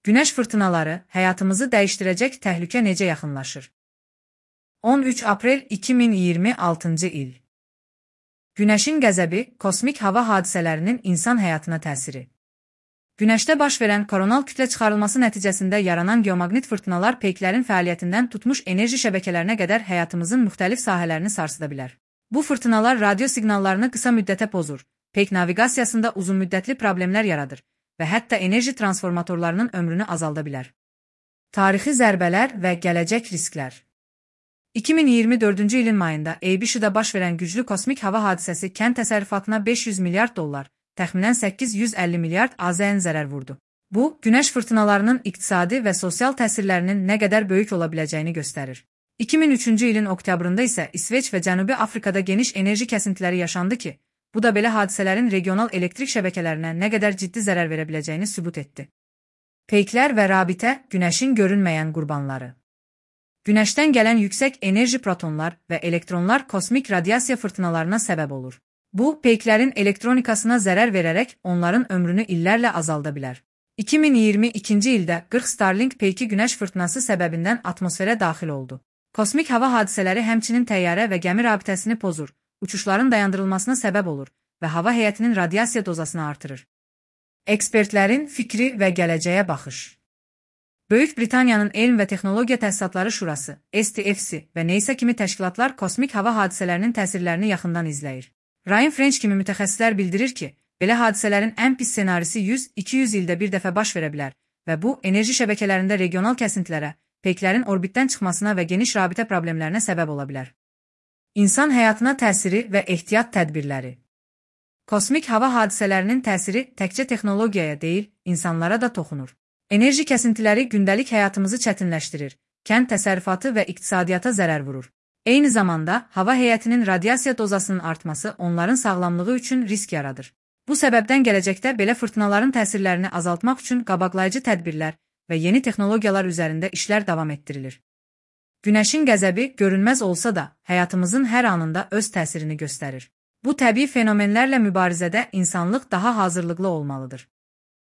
Günəş fırtınaları həyatımızı dəyişdirəcək təhlükə necə yaxınlaşır? 13 aprel 2026-cı il. Günəşin qəzəbi, kosmik hava hadisələrinin insan həyatına təsiri. Günəşdə baş verən koronal kütlə çıxarılması nəticəsində yaranan geomaqnit fırtınalar peyklərin fəaliyyətindən tutmuş enerji şəbəkələrinə qədər həyatımızın müxtəlif sahələrini sarsıda bilər. Bu fırtınalar radio siqnallarını qısa müddətə pozur, peyk naviqasiyasında uzunmüddətli problemlər yaradır və hətta enerji transformatorlarının ömrünü azalda bilər. Tarixi zərbələr və gələcək risklər. 2024-cü ilin mayında ABC-də baş verən güclü kosmik hava hadisəsi kənd təsərrüfatına $500 milyard, təxminən $850 milyard AZN zərər vurdu. Bu, günəş fırtınalarının iqtisadi və sosial təsirlərinin nə qədər böyük ola biləcəyini göstərir. 2003-cü ilin oktyabrında isə İsveç və Cənubi Afrikada geniş enerji kəsintiləri yaşandı ki, bu da belə hadisələrin regional elektrik şəbəkələrinə nə qədər ciddi zərər verə biləcəyini sübut etdi. Peyklər və rabitə, günəşin görünməyən qurbanları. Günəşdən gələn yüksək enerji protonlar və elektronlar kosmik radiasiya fırtınalarına səbəb olur. Bu, peyklərin elektronikasına zərər verərək onların ömrünü illərlə azalda bilər. 2022-ci ildə 40 Starlink peyki günəş fırtınası səbəbindən atmosferə daxil oldu. Kosmik hava hadisələri həmçinin təyyarə və gəmi rabitəsini pozur, uçuşların dayandırılmasına səbəb olur və hava heyətinin radiasiya dozasını artırır. Ekspertlərin fikri və gələcəyə baxış. Böyük Britaniyanın Elm və Texnologiya Təsisatları Şurası, STFC və NASA kimi təşkilatlar kosmik hava hadisələrinin təsirlərini yaxından izləyir. Ryan French kimi mütəxəssislər bildirir ki, belə hadisələrin ən pis ssenarisi 100-200 ildə bir dəfə baş verə bilər və bu, enerji şəbəkələrində regional kəsintilərə, peyklərin orbitdən çıxmasına və geniş rabitə problemlərinə səbəb ola bilər. İnsan həyatına təsiri və ehtiyat tədbirləri. Kosmik hava hadisələrinin təsiri təkcə texnologiyaya deyil, insanlara da toxunur. Enerji kəsintiləri gündəlik həyatımızı çətinləşdirir, kənd təsərrüfatı və iqtisadiyyata zərər vurur. Eyni zamanda, hava heyətinin radiasiya dozasının artması onların sağlamlığı üçün risk yaradır. Bu səbəbdən gələcəkdə belə fırtınaların təsirlərini azaltmaq üçün qabaqlayıcı tədbirlər və yeni texnologiyalar üzərində işlər davam etdirilir. Günəşin qəzəbi görünməz olsa da, həyatımızın hər anında öz təsirini göstərir. Bu təbii fenomenlərlə mübarizədə insanlıq daha hazırlıqlı olmalıdır.